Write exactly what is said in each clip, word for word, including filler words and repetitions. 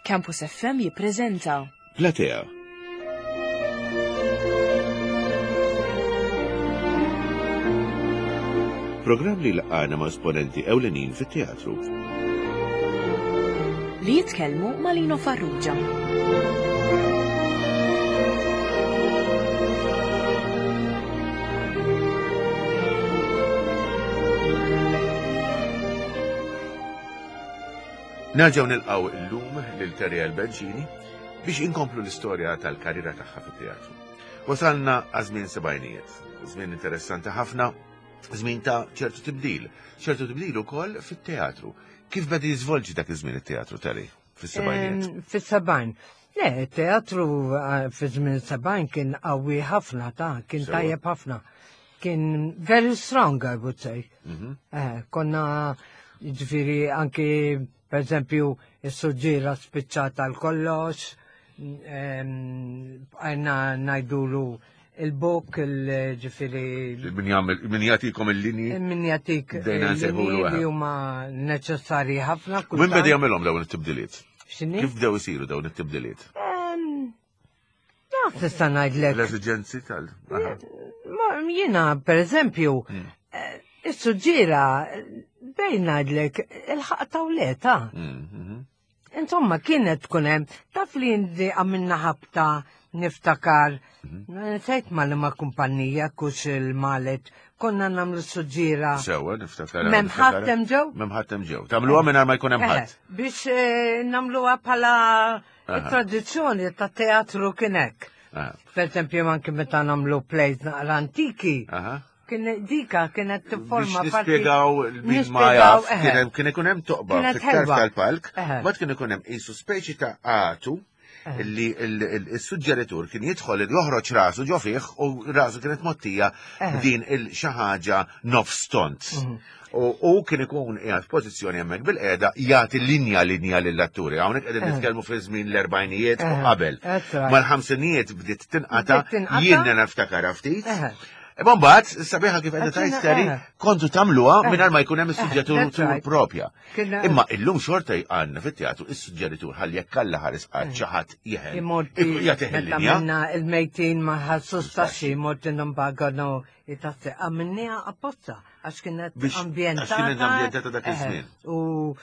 Campus F M jippreżenta Platea. Programm li laqana ma' esponenti ewlenin fit-teatru. Li jitkellmu ma' Lino Farrugia. Nerġgħu nilqgħu illum lil Terry Bencini biex inkomplu l-istorja tal-karriera tagħha fit-teatru. Wasalna għaż-żmien sebgħinijiet, żmien interessanti ħafna, żmien ta' ċertu tibdil, ċertu tibdil ukoll fit-teatru. Kif beda jiżvolġi dak iż-żmien it-teatru, Terry, fis-sebgħinijiet? Em, Fis-sebgħin. Le, teatru eh, fi żmien sebgħin kien qawwi ħafna ta' kien Sewa. tajjeb ħafna. Kien very strong, I would say. Mhm. Eh, konna ġifieri anki, per eżempju, is-suġġiera spiċċata l-kollox, għajna ngħidulu il-book, il-ġifieri Min jagħmel min jagħtikom il-linji? Min jatik Bdejna nsejħulu, il-linji eh. li huma neċessarji ħafna. Min kultant. beda jagħmelhom dawn it-tibdiliet? X'inhi? Kif bdew isiru dawn it-tibdiliet? Em, Naf tista' ngħidlek. L-eżiġenzi tal. Aha. Ma jiena, per eżempju, Mm. eh, is-suġġiera bejn ngħidlek il-ħaq tawleta. Mm, mhm. Insomma, kienet tkun hemm, taf li indi għamilna ħabta niftakar, Mhm. nsejt ma li ma kumpanija, kux il-malet, konna nagħmlu suġġiera. Sewa, niftakar. M'hemm ħadd hemm ġew? M'hemm ħadd hemm ġew. Tagħmluha mingħajr ma jkun hemm Eh, ħadd. Biex eh, nagħmluha bħala Aha. tradizzjoni ta' teatru kien hekk. Aha. Per esempio, anke meta nagħmlu plays naqra antiki, Aha. kien dika kienet tifforma Biex parti. nispjegaw min ma Nispjegaw, jaf, eħe. kien hemm- kien ikun hemm toqba Kienet fit-tarf ħelwa. tal-palk, Eħe. mbagħad kien ikun hemm qisu speċi ta' għatu Eħe. li il-suġġeritur kien jidħol joħroġ rasu ġo fih u rasu kienet mottija Eħe. din il xi ħaġa nofs tont. Mhm. U u kien ikun qiegħed f'pożizzjoni hemmhekk bil-qiegħda jagħti linja linja lill-atturi. Hawnhekk qegħdin Eħe. nitkellmu fi żmien l-erbgħinijiet u Eħe. qabel. That's right. Mal-ħamsinijiet bdiet tinqata' Bdiet tinqata'. jien niftakar ftit. Eħe. Imma mbagħad sabiħa kif qiegħda Għaxina, tgħid Terry, eħe. kontu tagħmluha Eħe. mingħajr ma jkun hemm Eħe, is-suġġeritur that's right. propja. Kien- Imma illum xorta għandna fit-teatru is-suġġeritur ħalli jekk Alla ħares qatt xi ħadd jeħel. Imorti, Jagħtih meta il-linja. minna il-mejtin ma ħassus taxxi, morti nambagano jitassi. Għamilniha apposta, għax kienet Biex- għax ambjentata. kienet ambjentata dak Eħe, iż-żmien. U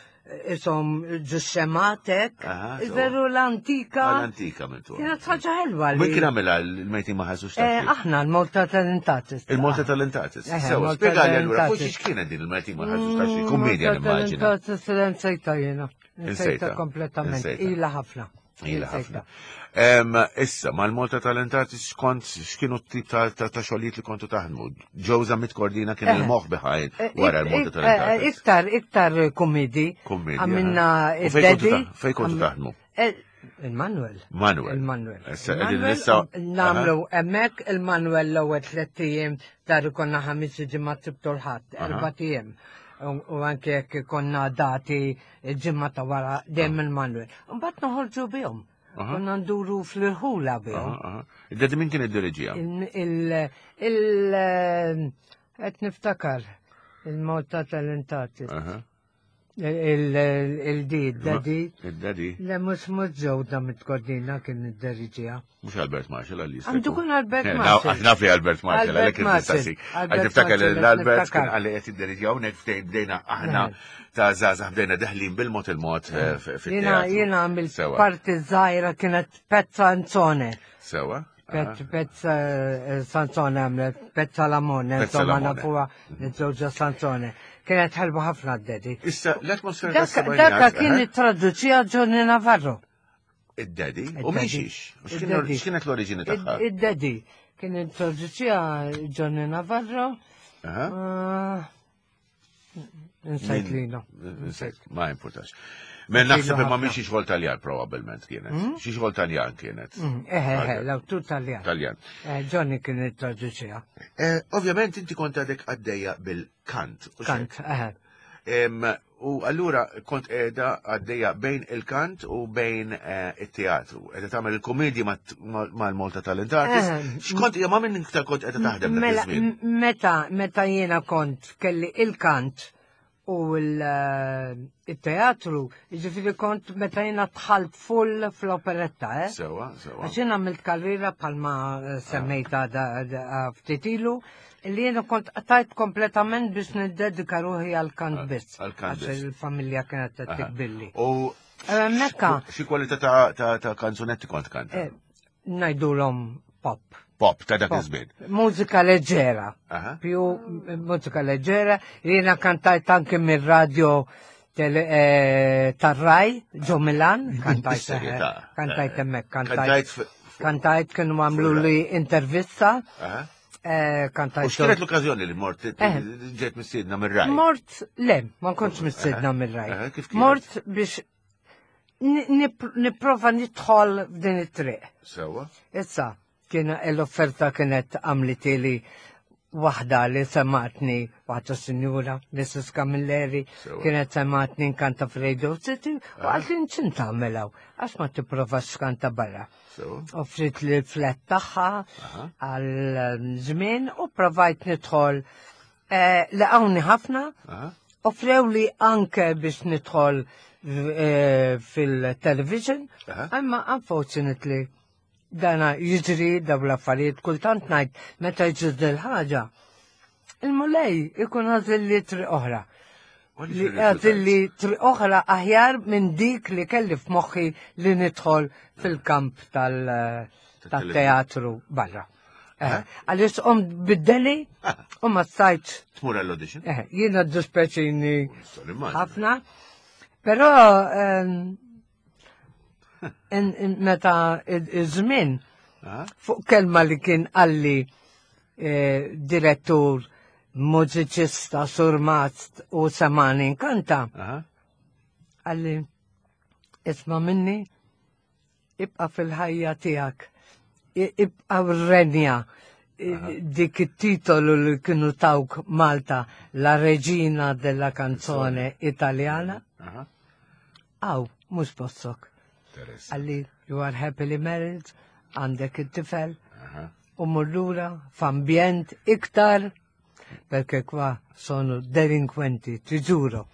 isom ġuxxematek, Aha, so. veru l-antika. L-antika minn Kienet ħaġa ħelwa li. Min kien għamilha l-mejtin ma ħassux Eh, taxxi? Aħna l-Malta Talent Artist. Il-Malta Talent Artist. Eħe, Sewa, Malta spjegali allura, Talent fuq Artist. x'kienet din il-mejtin ma ħassux taxxi? Kummedja nimmaġina. Talent Artist nsejta jiena. Insejta. Nsejta kompletament. Insejta. Ila ħafna. Ila Insejta. ħafna. Em, Issa, mal-Malta Talent Artist kont, x'kienu t-tip ta' ta' ta' xogħlijiet li kontu taħdmu? Joe Zammit Cordina kien Eh. il-moħħ behind Eh, wara ik- l-Malta ik- Talent eh, Artist. Iktar, iktar komedi. Kummedji, Għamilna aha. U fejn kontu id-Daddy. ta' fejn kontu Għam- taħdmu? Eh, Il-Manuel. Manuel. Il-Manuel. Issa, qegħdin Il-Manuel, issa- u Nagħmlu hemmhekk il-Manuel l-ewwel tliet ijiem dar konna ħamis ġimgħa Sibt u l-Ħadd, Aha. erba' ijiem. U u anke jekk konna dati il-ġimgħa ta' wara dejjem il-Manuel. Mbagħad noħorġu bihom. Aha. Konna nduru fl-irħula bihom. Aha, aha. Id-Daddy min kien id-diriġija? Il- il- il- qed niftakar il-Malta Talent Artist. Aha. Il-di, il-Daddy. Id-Daddy. Le mhux mhux ġewda mit-Kordina kien id-deriġija. Mhux Albert Marshall għalli jista' Għandu jkun. kun Albert Eh, Marshall. Naf naf li Albert Marshall, Albert għalhekk Marshall. nistaqsik. Għal Albert tiftakar Marshall, l-Albert niftakar. kien għalli qed idderiġija hawnhekk ftejn bdejna aħna Eh. ta' żgħażagħ bdejna deħlin bil-mod il-mod eh, f- Jiena fit-teatru. jiena għamilt Sewa. parti żgħira kienet Pezza Anzone. Sewa. Pezz Pezza eh, Sansone għamlet, Pezza Lamone, Pezza insomma Lamone. nafuha nitżewġa Sansone. Kienet ħelba ħafna d-Daddy. Issa, l-atmosfera Dak tas-sebgħinijiet, Daka kien eh, ittraduċija Johnny Navarro. Id-Daddy, u Id-Daddy. min xiex? U x'kien- Id-Daddy. X'kienet l-oriġini tagħha? Id-Daddy kien introduċija Johnny Navarro. Aha. Ah, Insajt Min- lino. Insejt, ma importax. Men naħseb Insejtlu imma ħafna. minn xi xogħol Taljan probabbilment kienet. Xi xogħol Taljan kienet. Mm, Eħe, eħe, l-awtur Taljan. Taljan. Eh, Johnny kien introduċija. Eh, Ovvjament inti kont għadek għaddejja bil-kant. u Kant, eħe. Em, U allura kont qiegħda għaddejja bejn il-kant u bejn eh, it-teatru. Qiegħda tagħmel il-komedji mal-Malta Talent Artist. Eh, X'kont ma minn iktar kont qiegħda taħdem dak Mela, iż-żmien? m- meta, meta jiena kont kelli il-kant U l-teatru, ġifieri kont meta jiena dħalt full fl-operetta, eh? Sewa, sewa. Għax jien għamilt karriera bħalma eh, semmejta da- da- ftit ilu, li jiena kont qtajt kompletament biex niddedika ruħi għal-kant biss. Għal-kant Għax biss. il-familja kienet qed Aha. tikbilli. U Eh, Mekka, xi kwalità ta' ta' ta' kanzunetti kont kanta? eh, ngħidulhom pop. Pop ta' dak Pop. iż-żmien. Mużika leġġera. Aha. Più eh, mużika leġġera. Jiena kantajt anke mir-radio tele- eh, tar-Rai, ġo Milan, kantajt Bis-serjetà. eh, kantajt hemmhekk, kantajt Kantajt f- kantajt kienu għamlu li intervista, Aha. eh, U kantajt. x'kienet l-okkażjoni li mort Eh. ġejt mistiedna mir-Rai? Mort, le, ma kontx mistiedna Aha. mir-Rai. Aha, kif kienet? Mort biex ni- nip- nipprova nidħol f'din it-triq. Sewa. Issa, kien l-offerta kienet għamlitili waħda li sematni, waħda sinjura, Missus Camilleri, Sewa. kienet sematni nkanta f'Radio City, u qaltli x'int tagħmel hawn, għax ma tipprovax tkanta barra. Sewa. Offrit li l-flat tagħha Aha. għal żmien u provajt nidħol. Eh, Laqawni ħafna, Aha. offrew li anke biex nidħol eh, fil-television, Aha. imma unfortunately dana jiġri daw l-affarijiet kultant ngħid meta jiġri dil-ħaġa. Il-Mulej ikun għażel li triq oħra. Li għażel li triq oħra aħjar minn dik li kelli f'moħħi li nidħol fil-kamp tal- tal-teatru barra. Eh, Għaliex qomt biddeli u ma stajtx Tmur għall-audition? Eh, jiena dispeċini Nista' nimmaġina. ħafna, però ehm, in- in- meta iż-żmien Aha. fuq kelma li kien qalli eh, direttur, mużiċista, surmast u semagħni nkanta, Aha. qalli isma' minni, ibqa' fil-ħajja tiegħek, i- ibqa' renja dik it-titolu li kienu tawk Malta, la regina della canzone italiana, Aha. Aw, mhux postok. Interessanti. Qalli, you are happily married, għandek it-tifel, Aha. u mur lura f'ambjent iktar, perché qua sono delinquenti, ti giuro.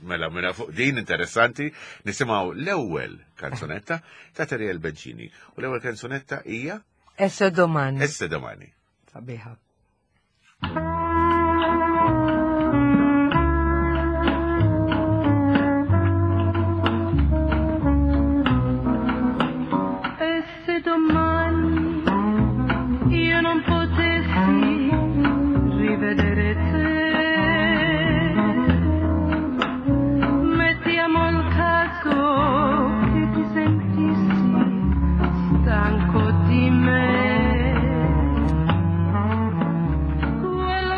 Mela, mela fuq din interessanti, nisimgħu l-ewwel kanzunetta ta' Teriel Bencini. U l-ewwel kanzunetta hija E se domani. E se domani. Sabiħa. E se domani io non potessi rivedere te, mettiamo il caso che ti sentissi stanco di me. Quello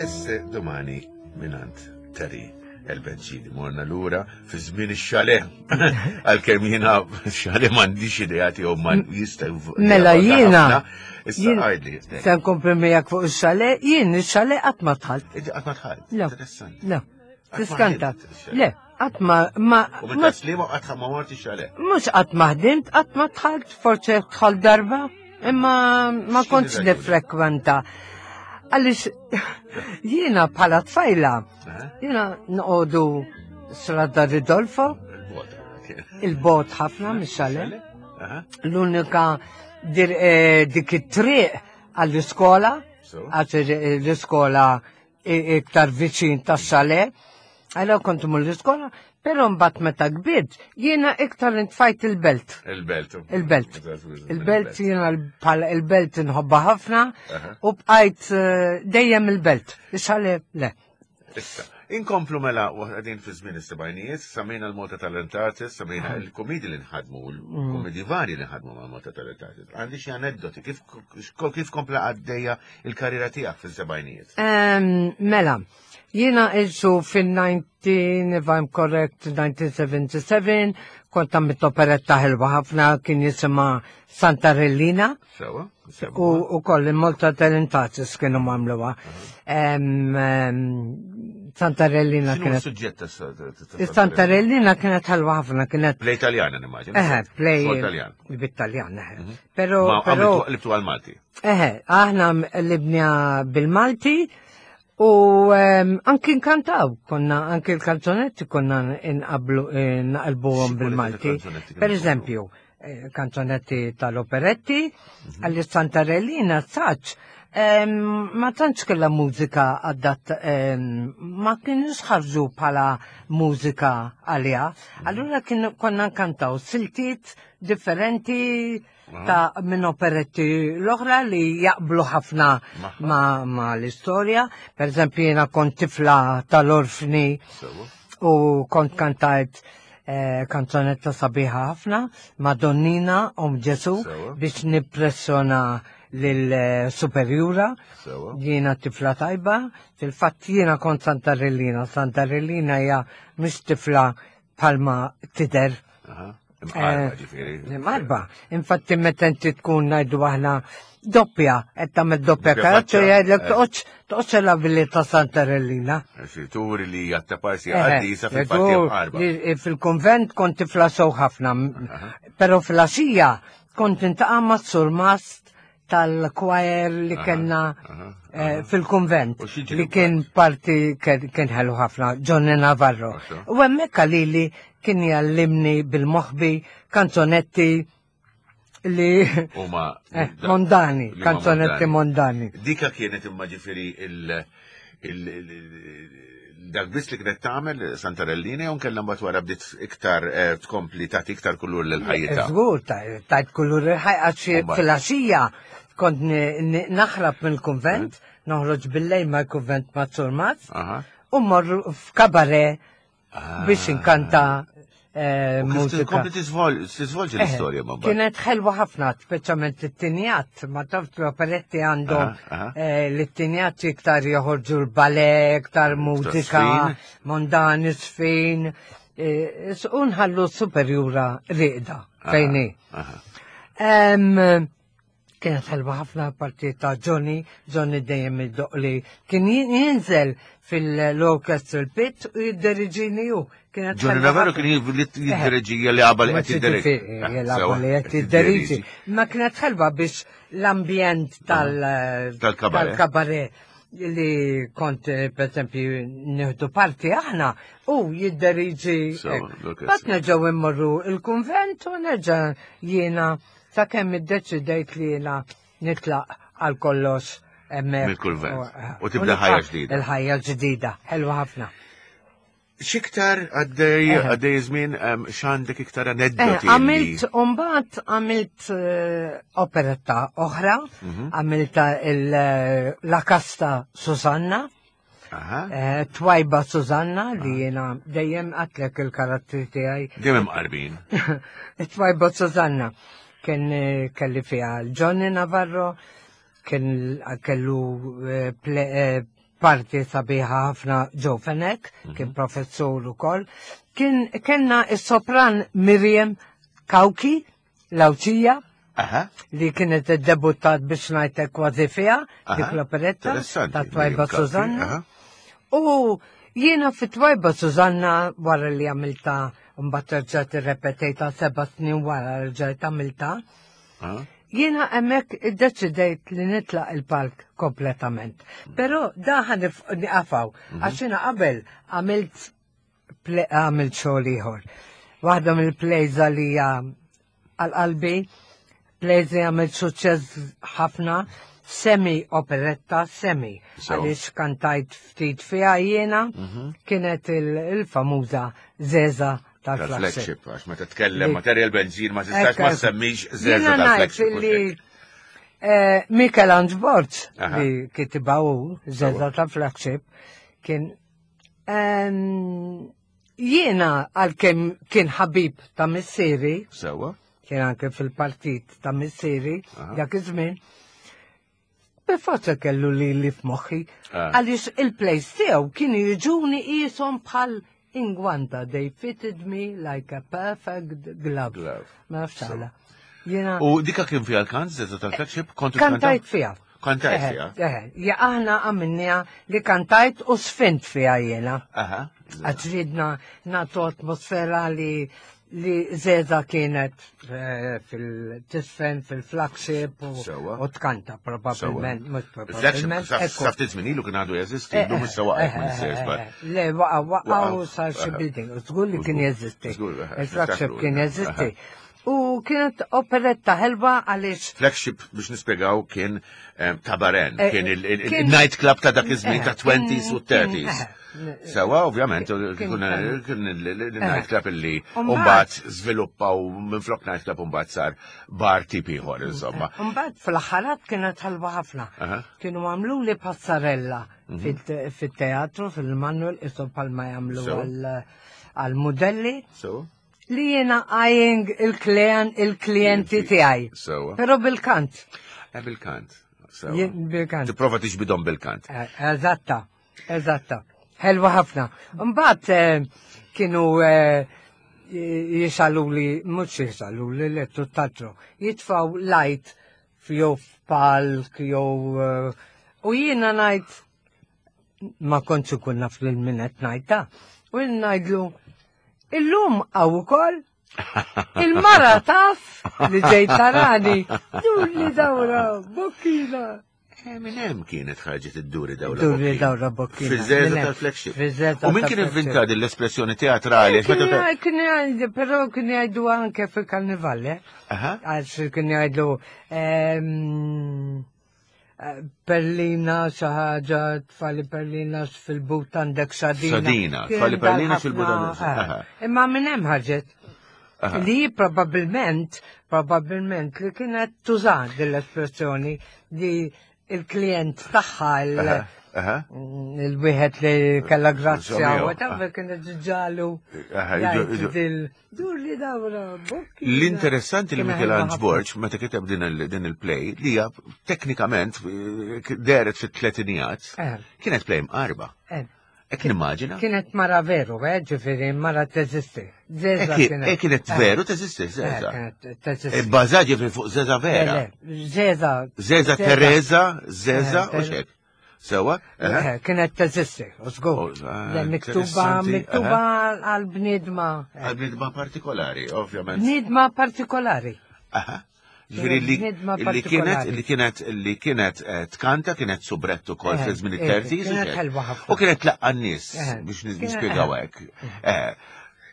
E se domani mingħand Terry El-Benċini. Morna lura fi żmien ix-chalet. Għalkemm jiena chalet m'għandix idea tiegħu ma jista' Mela jiena. Issa jien- għidli. Se nkompli miegħek fuq ix-chalet, jien ix-chalet qatt ma dħalt. Inti qatt ma dħalt. Le. Interessanti. Le, Qatt ma tiskanta. ħdimt ix-chalet. Le, qatt ma ma U minn ma taslima qatt ma mort ix-chalet. mhux qatt ma ħdimt, qatt ma dħalt, forsi dħalt darba, imma ma X'inhi kontx raġuni? nifrekwenta. Għaliex jiena bħala tfajla, Eh? jiena noqogħdu Strada Ridolfo, Il-bot. il-bot ħafna mix-chalet. Aha. L-unika dir- eh, dik it-triq għall-iskola, So? għax l-iskola i- iktar viċin tas-chalet, għalhekk kont mur l-iskola, però mbagħad meta kbirt, jiena iktar intfajt il-belt. Il-belt. Il-belt. Il-belt jiena bħala il-belt nħobba ħafna Aha. u bqajt eh, dejjem il-belt. Ix-chalet le. Issa, inkomplu mela għadin fi żmien is-sebgħinijiet, semmejna l-Malta Talent Artist, semmejna il-komedi li nħadmu, il-komedi vari li nħadmu ma' Malta Talent Artist. Għandi xi aneddoti, kif kif kompla għaddejja il-karriera tiegħek fis-sebgħinijiet? Em, Mela, jiena iġu fin-nineteen, if I'm correct, nineteen seventy-seven, kont għamilt operetta ħelwa ħafna, kien jisimha Santarellina. Sewa? U, u koll il-Malta Talent Artists kienu għamluha. Em, em, Santarellina X'inhu kienet. s-suġġett ta' Santarellina kienet ħelwa ħafna, kienet. Play Taljan, nimmaġina. Eħe, play. Xogħol Taljan. Bit-Taljan, eħe. Pero, Ma pero, għamiltu qlibtu għal-Malti. Eħe, aħna qlibna bil-Malti u em, anki nkantaw, konna anki l-kanzonetti konna nqablu eh, naqilbuhom Xi bil-Malti. kanzonetti kienu Per eżempju, eh, kanzonetti tal-operetti, għalli Santarellina saċ, em, ma tantx kellha mużika adatt, em, ma kienux ħarġu bħala mużika għalija. Allura kien konna nkantaw siltiet differenti ta' minn operetti l-oħra li jaqblu ħafna Magħha. ma, ma l-istorja. Per eżempju, jiena kont tifla tal-orfni Sewa. u kont kantajt eh, kanzonetta sabiħa ħafna, Madonnina Om Ġesu, Sewa. biex nippressjona lil-superjura. Sewa. Jiena tifla tajba, fil-fatt jiena kont Santarellina. Santarellina hija mhix tifla palma tidher. Aha. Imqarba Eh, ġifieri. Imqarba. Infatti meta inti tkun, ngħidu aħna, doppja, qed tagħmel doppja Doppja karattru, faċċa, jgħidlek eh. toqgħodx toqgħodx billi ta' Santarellina. Xi turi li jattaparsi Eħe, għaddisa fil-fatt tu- imqarba. li- Fil-konvent kont tifla sew ħafna, pero fil-għaxija kont niltaqa' ma' surmast tal-choir li Aha, kellna aha, eh, fil-konvent U x'jiġri li kien parti kien kien ħelu ħafna, Johnny Navarro. Għaxa. U hemmhekk għalili kien jgħallimni bil-moħbi kanzonetti li Huma eh, mondani, li huma kanzonetti mondani. Dika kienet imma ġifieri il- il- il- dak biss li kienet tagħmel Santarellina jew kellha mbagħad wara bdiet iktar eh, tkompli tagħti iktar kulur lil ħajjitha? Żgur, tajt kulur il-ħajja għax Mbagħad. fil-għaxija kont ni- ni- naħrab mill-konvent, noħroġ bil-lejl mal-konvent ma' Surmast, Aha. u morru f'kabaret biex inkanta eh, U kif mużika. tkompli tiżvol- tiżvolġi Eh, l-istorja ma mbagħad. Kienet ħelwa ħafna, speċjalment it-tinjat, ma taf l-operetti għandhom Aha, aha. eh, l-tinjat iktar joħorġu l-ballet, iktar mużika, sfin. mondani, sfin, eh, u nħallu superjura riqda, fejni. Aha. Em, Kienet ħelwa ħafna parti ta' Johnny, Johnny dejjem id-doqli. Kien jinżel fil-orchestral pit u jidderiġini ju. Kienet Johnny ħelwa Navarro ħafna. kien jiddereġi jilgħabha li qed jiddereġi. Jilgħabha li qed jiddereġi. Ma kienet ħelwa biex l-ambjent tal- Tal-kabaret. tal-kabaret li kont eh, per esempio nieħdu parti aħna u jidderiġi. Sewa, l-orkestra. Bat nerġgħu immorru il-kunvent u nerġa' jiena sakemm iddeċidejt li jiena nitlaq għal kollox hemmhekk. Mill-kunvent. U- U tibda nibqa' ħajja ġdida. Il-ħajja ġdida, ħelwa ħafna. X'iktar għaddej Eħe. għaddej żmien em, x'għandek iktar Eh, aneddoti? Għamilt, umbat għamilt eh, operetta oħra, Mhm. għamilta il- eh, la Casta Susanna, Aha. eh, Twajba Susanna li jena dejjem għatlek il-karattri tiegħi. Dejjem imqarbin. Twajba Susanna kien eh, kelli fiha Johnny Navarro, kien kellu eh, ple- eh, parti sabiħa ħafna Joe Fenech, kien professur ukoll. Kien kellna is-sopran Miriam Kauki, Lawċija, Aha. li kienet iddebuttat biex ngħidlek kważi fiha, Aha. dik l-operetta Interessanti, ta' Twajba Miriam Kauki, Susanna. aha. U jiena fi Twajba Susanna wara li għamilta mbagħad rġajt irrepetejta seba' snin wara rġajt għamilta. Aha. Jiena hemmhekk iddeċidejt li nitlaq il-palk kompletament. Però da ħa niqafaw, għax jiena qabel għamilt ple- għamilt xogħol ieħor. Waħda mill-plays li hija għal-qalbi, plays li għamilt suċċess ħafna, semi operetta, semi. So. Għaliex kantajt ftit fiha jiena, kienet il- il-famuża Zeza tal-flagship. Tal-flagship, għax meta tkellem Li- ma' Terjel Benzin ma tistax ma Ekk, semmix Zeza Jiena ngħid tal-flagship. li eh, Michelangelo Borg Aha. li kitibha hu Zeza tal-flagship kien ehm, jiena għalkemm kien ħabib ta' missieri, Sewa? kien anke fil-partit ta' missieri Aha. dak iż-żmien, bil-forza kellu li li f'moħħi, Ah. għaliex il-plays tiegħu kienu jiġuni qishom bħal ingwanta, they fitted me like a perfect glove. Glove. Ma nafx għala. Jiena U dika kien fiha l-kant, Zeza tal-flagship? Kontu kantajt fiha. Kantajt Eħe, fiha? Eħe, ja aħna għamilniha li kantajt u sfint fiha jiena. Aha. Għax ridna nagħtu atmosfera li li Zeza kienet eh, fil-tisfen, fil-flagship u, Sewa. u tkanta probabilment, mhux Il-flagship, probabilment. ekku. sa ftit żmien ilu kien għadu jeżisti, Eh, llum issa waqgħet eh, minn eh, sejs eh, Le, waqa, waqa Waqa', u sar xi eh, building. U żgur li kien Żgur, jeżisti. żgur, eh, Il-flagship niftakru, kien eh, jeżisti. U kienet operetta ħelwa għaliex Flagship biex nispjegaw kien eh, tabaren, Eh, kien kien- il-night club ta' dak iż-żmien Eh, ta' twenties u kien- thirties. eh, Sewa, ovvjament, kien- kien kien il-night club illi Umbagħad- mbagħad żviluppaw minn flok night club mbagħad sar bar tip ieħor, insomma. Mbagħad fl-aħħarat kienet ħelwa ħafna. Aha. Kienu għamlu li passarella fit- fit-teatru, fil-Manuel, isom palma jagħmlu So. għal- għal-modelli So, li jiena eyeing il-klien il-klienti tiegħi. Sewa. Però bil-kant. Eh, bil-kant. Sewa. Jien bil-kant. Tipprova tiġbidhom bil-kant. Eh, Eżatta, eżatta. Ħelwa ħafna. Mbagħad eh, kienu eh, jisaluli, mhux jisaluli, li tutt'altru, jitfaw light jew f'palk jew eh, u jiena ngħid ma kontx ikun naf lil min qed ngħidha. U jien ngħidlu illum hawn ukoll il-mara taf li ġejt tarani, dur li dawra, bokkina. Eh, minn hemm kienet ħarġet id-duri dawra. Duri bokkina. dawra bokkina. Fiż-żeża Minn hemm. tal-flagship. Fiż-żeża U min kien tal-flagship. inventa din l-espressjoni teatrali? Għax meta ta- Kien jgħidu, però kien jgħidu anke fil-karnival, eh? Aha. Għax kien jgħidu ehm, eh, Perlina xi ħaġa, tfali perlina fil-but għandek sadina. Sadina, Kien tfali perlina dal-ħafna, fil-but għandek- eh. aha. Imma minn hemm ħarġet. Aha. Li probabilment, probabilment li kienet tuża din l-espressjoni li il-klient tagħha il- Aha, aha. il-wieħed li kella grazzja Insomma, whatever kienet ġalu. Aha, iġu- iġu- Dil dur li dawra bokkina. L-interessanti li Kien Michelangelo ħelwa ħafna. Borg, meta kiteb din il- din il-play, li hija teknikament eh, deret fit-tletinijat, Eh. kienet play mqarba. Eh, Ek nimmaġina? Kienet mara veru, eh, ġifieri, mara teżisti. Zeza Eh, kienet. eh, kienet Eh, veru teżisti, eh, Zeza. Kienet teżisti. Bbażat ġifieri fuq Zeza vera. Le, le, Zeza. Zeza Teresa, Zeza, Eh, u xek. Sewa? Eh? Eh, Kienet teżisti, u żgur. Oh, ah, Le, Miktuba, interessanti, miktuba għal-bniedma. eh, Għal-bniedma partikolari, ovvjament. Bniedma partikolari. Aha. Ġifieri li Bniedma li kienet partikolari. li kienet li kienet eh, tkanta kienet soubrette ukoll Eh, fi żmien eh, it-thirties. kienet u xek. ħelwa ħafna. U kienet tlaqqa n-nies Eh, biex kienet- nispjegaw eh. hekk. Eh,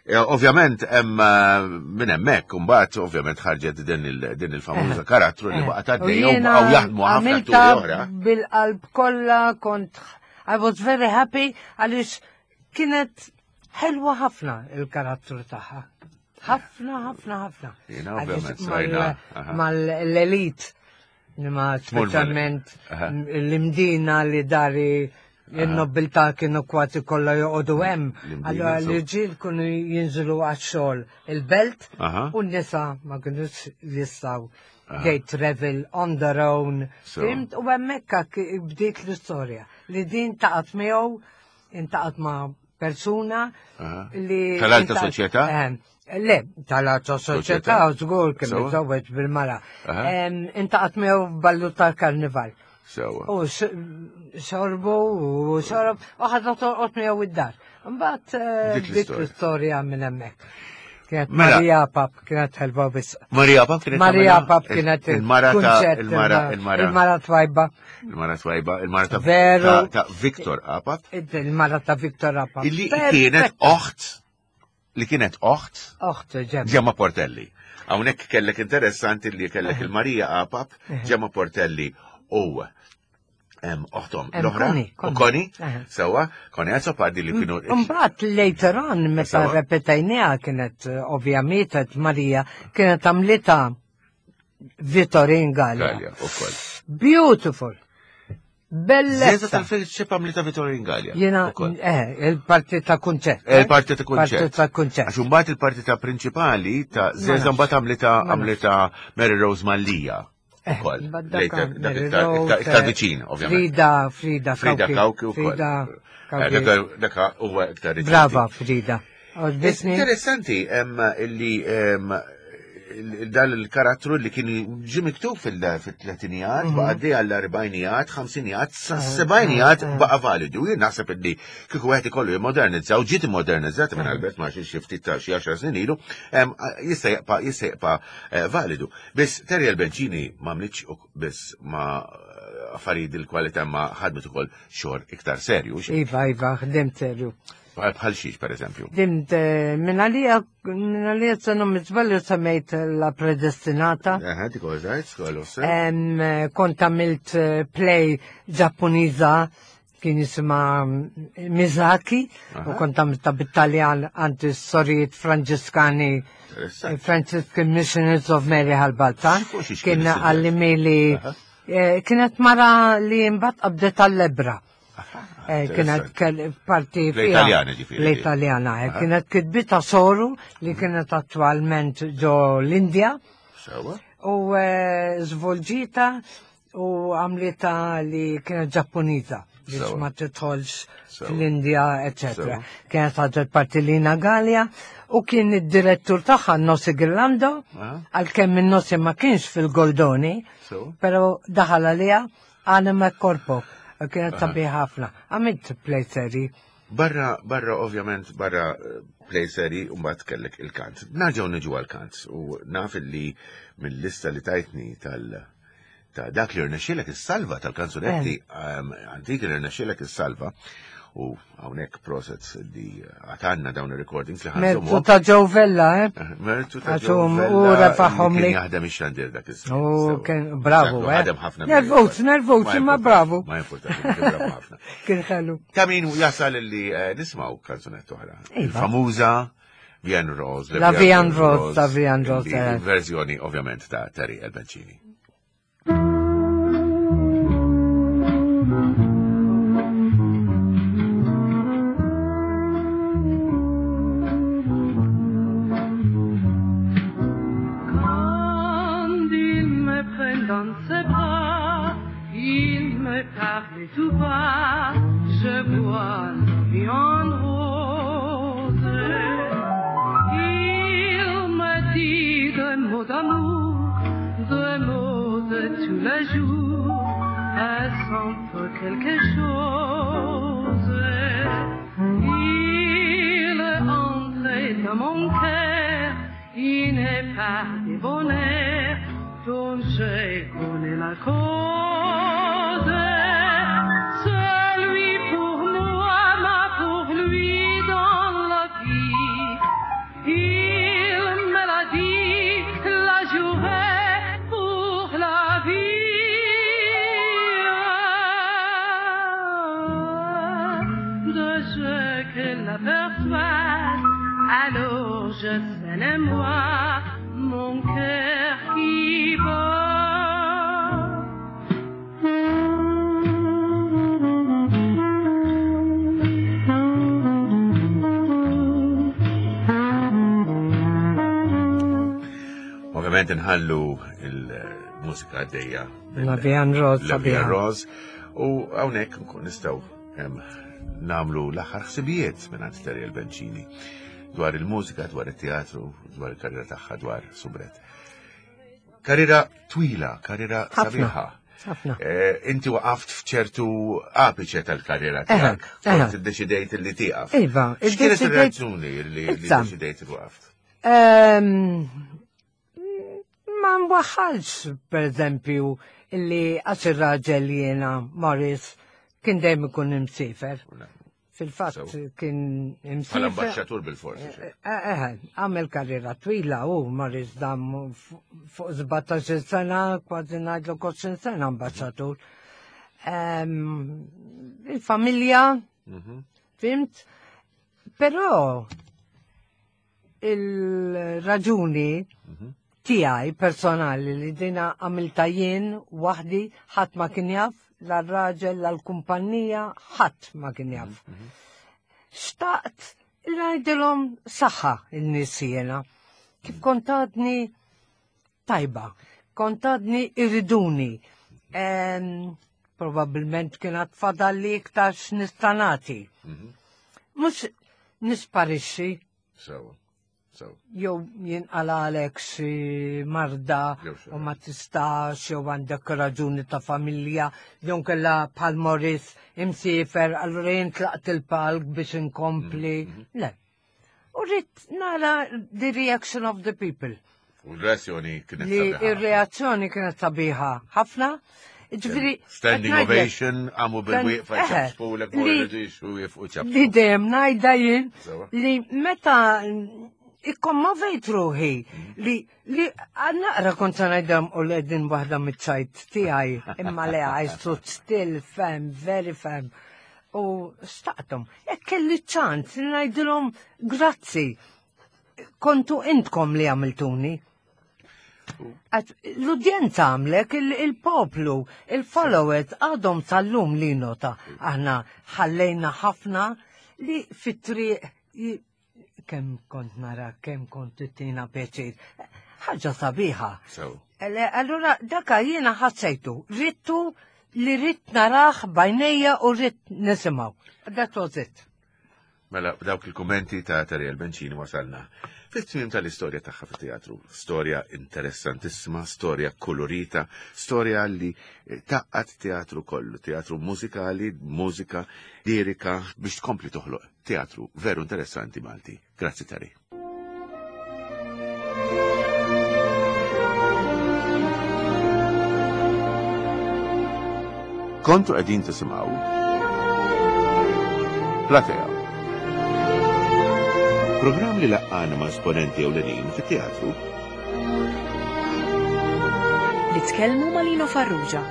eh, Ovvjament hemm eh, minn hemmhekk imbagħad ovvjament ħarġet din il- din il-famuża karattru li Eh, baqgħet u għaddejja u jiena baqgħu jaħdmu ħafna għamiltha atturi oħra. bil-qalb kollha kont I was very happy għaliex kienet ħelwa ħafna il-karattru tagħha. Ħafna, ħafna, ħafna. Jiena Għaliex ovvjament mal- srajna, aha. Mal-elit, ma Tmur mal- speċjalment aha. l-Imdina li dari il-nobiltà kienu kważi kollha joqogħdu hemm. L-Imdina, Allora so. l-irġiel kienu jinżlu għax-xogħol il-belt Aha. u n-nisa ma kienux jistgħu They travel on their own. So. Fhimt? U hemmhekk bdiet l-istorja li din taqat miegħu, intaqat ma' persuna Aha. li. Tal-alta intaqat- soċjetà? Ehm, Le, tal-alta soċjetà, żgur kien Sewa. miżżewweġ bil-mara. Aha. Ehm, Intaqat miegħu f'ballu tal-karnival. Sewa. U s- xorbu u xorob, u ħadna torqod miegħu id-dar. Mbagħad eh, Dik dik l-istorja. l-istorja minn hemmhekk. Kienet Mela. Maria Pap, kienet ħelba biss. Maria Pap kienet Maria tagħmilha? Pap kienet il-mara ta' kunċett, il-mara il-mara il-mara twajba, il-mara twajba, il-mara ta' Veru. ta' ta' Victor Apap, il-mara ta' Victor Apap. illi kienet oħt li kienet oħt Oħt ġemma. Gemma Portelli. Hawnhekk kellek interessanti li kellek il-Marija Apap, Gemma Portelli u em, oħtom Em, l-oħra. Connie, U Connie. Connie, Aha. sewa, Connie Azzopardi li kienu. Mbagħad later on meta Sewa. repetajniha kienet eh, ovvjament Marija kienet għamlita Vittorin Gallia. Gallia, ukoll. Beautiful. Zeza Bellezza. tal-Filċip għamlita Vittorin Gallia. Jena, ukoll. eh, il-parti ta' kunċett. Eh, Il-parti ta' kunċett. Parti ta' kunċett. Għax imbagħad il-partita prinċipali ta' Zeza nafx. mbagħad għamlita Ma nafx. għamlita Mary Rose Mallia. Eh, Ukoll. mbagħad dak Later, dak Mary iktar- Rose, iktar- iktar eh, viċin, ovvjament. Frida, Frida Frida Kawki ukoll. Frida Eh, Kawki. Dak dak huwa iktar riċenti. Brava, Frida. Għoġbitni. Interessanti, em, illi em, il- dan il-karattru li kien ġi miktub fil-tletinijat, Mhm. baqa għaddej għall-erbajnijat, ħamsinijat, sebajnijat baqa validu. Jien naħseb illi kieku wieħed ikollu jimmodernizza u ġiet immodernizzata minn Albert Marxi xi ftit ta' xi għaxar snin ilu, em, jista' jibqa' jista' jibqa' eh, validu. Biss Terry Albencini ma mlitx biss ma eh, affarijiet il-kwalità ma ħadmet ukoll xogħol iktar serju, xi- Iva, Iva, ħdimt serju. bħal xiex per eżempju. Ħdimt eh, minn għalija, minn għalija senu mizbalju semmejt la predestinata. Eħe, dik użajt, skollu sew. Em, eh, Kont għamilt eh, play Ġappuniża kien jisima mm, Mizaki u kont għamilta bit-Taljan għand is-sorijiet Franġiskani Interessanti. Franciscan Missionaries of Mary Halbaltan. Fuq xiex kien Kien is-suġġett? għallimili Aha. eh, kienet mara li mbagħad qabdet għall-ebra. Eh, Kienet kell- parti fiha- L-Italjana ġifieri. L-Italjana, eh, kienet kitbita soru li kienet attualment ġo l-Indja Sewa. u eh, zvolġita u għamlita li kienet Ġappuniża biex Sewa. ma tidħolx Sewa. fl-Indja, eccetera. Sewa. Kienet ħadet parti Lina Gallia u kien id-direttur tagħha Nossi Girlando, Aha. għalkemm in-Nossi ma kienx fil-Goldoni, Sewa. pero daħal għalija Anima Corpo, kienet sabiħ ħafna. Għamilt play seri. Barra, barra, ovvjament, barra eh, play seri, u mbagħad kellek il-kant. Narġgħu niġu għal-kant u naf li mill-lista li tajtni tal ta' dak li rnexxielek is-salva tal-kanzunetti ehm, antiki li rnexxielek is-salva u hawnhekk proset li għatanna dawn ir-recordings li Mertu ħanżomhom. ta' Joe Vella, eh? Mertu ta' Għax hum- Joe u Vella refaħhom li kien li- jaħdem ix-xandir dak iż-żmien. U Sewa. kien bravo, Dak, eh? Ħadem ħafna. Nervuz, nervuz, Ma imma importanti, bravo. Ma importanti, kien bravo ħafna. Kien ħelu. Ta' min jasal li eh, nismaw kanzunetta oħra. Iva. Il-famuża Vian Rose. La Vian Rose, ta' Vian Rose, li- eh. Verżjoni ovvjament ta' Terry Elbencini. Quand il me prend dans ses bras, il me parle tout bas, je vois la vie en rose. Il me dit des mots d'amour, des mots de tous les jours, est-ce un peu quelque chose? Il est entré dans mon cœur, il n'est pas des bonheurs dont je connais la cause. Celui pour moi, ma pour lui dans la vie. Il me l'a dit, la journée pour la vie. De ce que l'aperçoit, alors je sais moi mon cœur qui bat. Ovvjament nħallu il- Il-mużika għaddejja. La Vie en Rose. La Vie en Rose. U hawnhekk nkun nistgħu nagħmlu l-aħħar ħsibijiet minn għand Terry Bencini dwar il-mużika, dwar it-teatru, dwar il-karriera tagħha, dwar Soubrette. Karriera twila, karriera sabiħa. Ħafna. Inti waqaft f'ċertu apiċe tal-karriera tiegħek. Kont iddeċidejt li tieqaf. Iva, X'kienet ir-raġuni li ddeċidejt li waqaft? Ma nwaħħalx, per eżempju, illi għax ir-raġel jiena Morris kien dejjem ikun imsifer. Fil-fatt kien imsifer. Bħala ambaxxatur bil-forsi. Eh, għamel karriera twila u Morris dam fuq sbatax-il sena, kważi ngħidlu għoxrin sena ambaxxatur. Il-familja, fhimt? Però il-raġuni tiegħi personali li dina għamilta jien waħdi, ħadd ma kien jaf, la raġel, la l-kumpanija, ħadd ma kien jaf. Xtaqt ngħidilhom saħħa in-nies jiena. Kif kont għadni tajba, kont għadni irriduni. Probabilment kien għad fadalli iktar x'nista' nagħti. Mhux nisparixxi. Sewa. Jew jinqalalek xi marda u ma tistax, jew għandek raġuni ta' familja, jew kella bħal Morris imsifer, allura jien tlaqt il-palk biex inkompli. Le. U rrid nara the reaction of the people. U l-reazzjoni kienet Li sabiħa. Ir-reazzjoni kienet sabiħa ħafna. Ġifieri, Standing qed ngħidlek, ovation, għamu bil-wieqfa Eħe, ċapċpu l li- u jifqu ċapċpu. Li dejjem ngħidha jien Sewa. li meta ikkommovejt ruħi li li naqra kont se ngħidhom u l-edin waħda miċ-ċajt tiegħi imma le I stood still firm, very firm. U staqtom, jekk kelli ċans li ngħidilhom grazzi, kontu intkom li għamiltuni. Għax l-udjenza għamlek, il-poplu, il-followers għadhom sal-lum li nota. Aħna ħallejna ħafna li fit-triq i- kemm kont nara, kemm kont tina pjaċir. Ħaġa sabiħa. Sew. Ele, allura daka jiena ħassejtu, rittu li rrid narah b'għajnejja u rrid nisimgħu. That was it. Mela, b'dawk il-kommenti ta' Tariel Bencini wasalna fit-tmiem tal-istorja tagħha fit-teatru. Storja interessantissima, storja kolorita, storja li taqqat teatru kollu, teatru mużikali, mużika lirika, biex tkompli toħloq teatru veru interessanti Malti. Grazzi Terry. Kontu qegħdin tisimgħu Platea. Programm li laqqana ma' esponenti ewlenin fit-teatru. Li tkellmu ma' Lino Farrugia.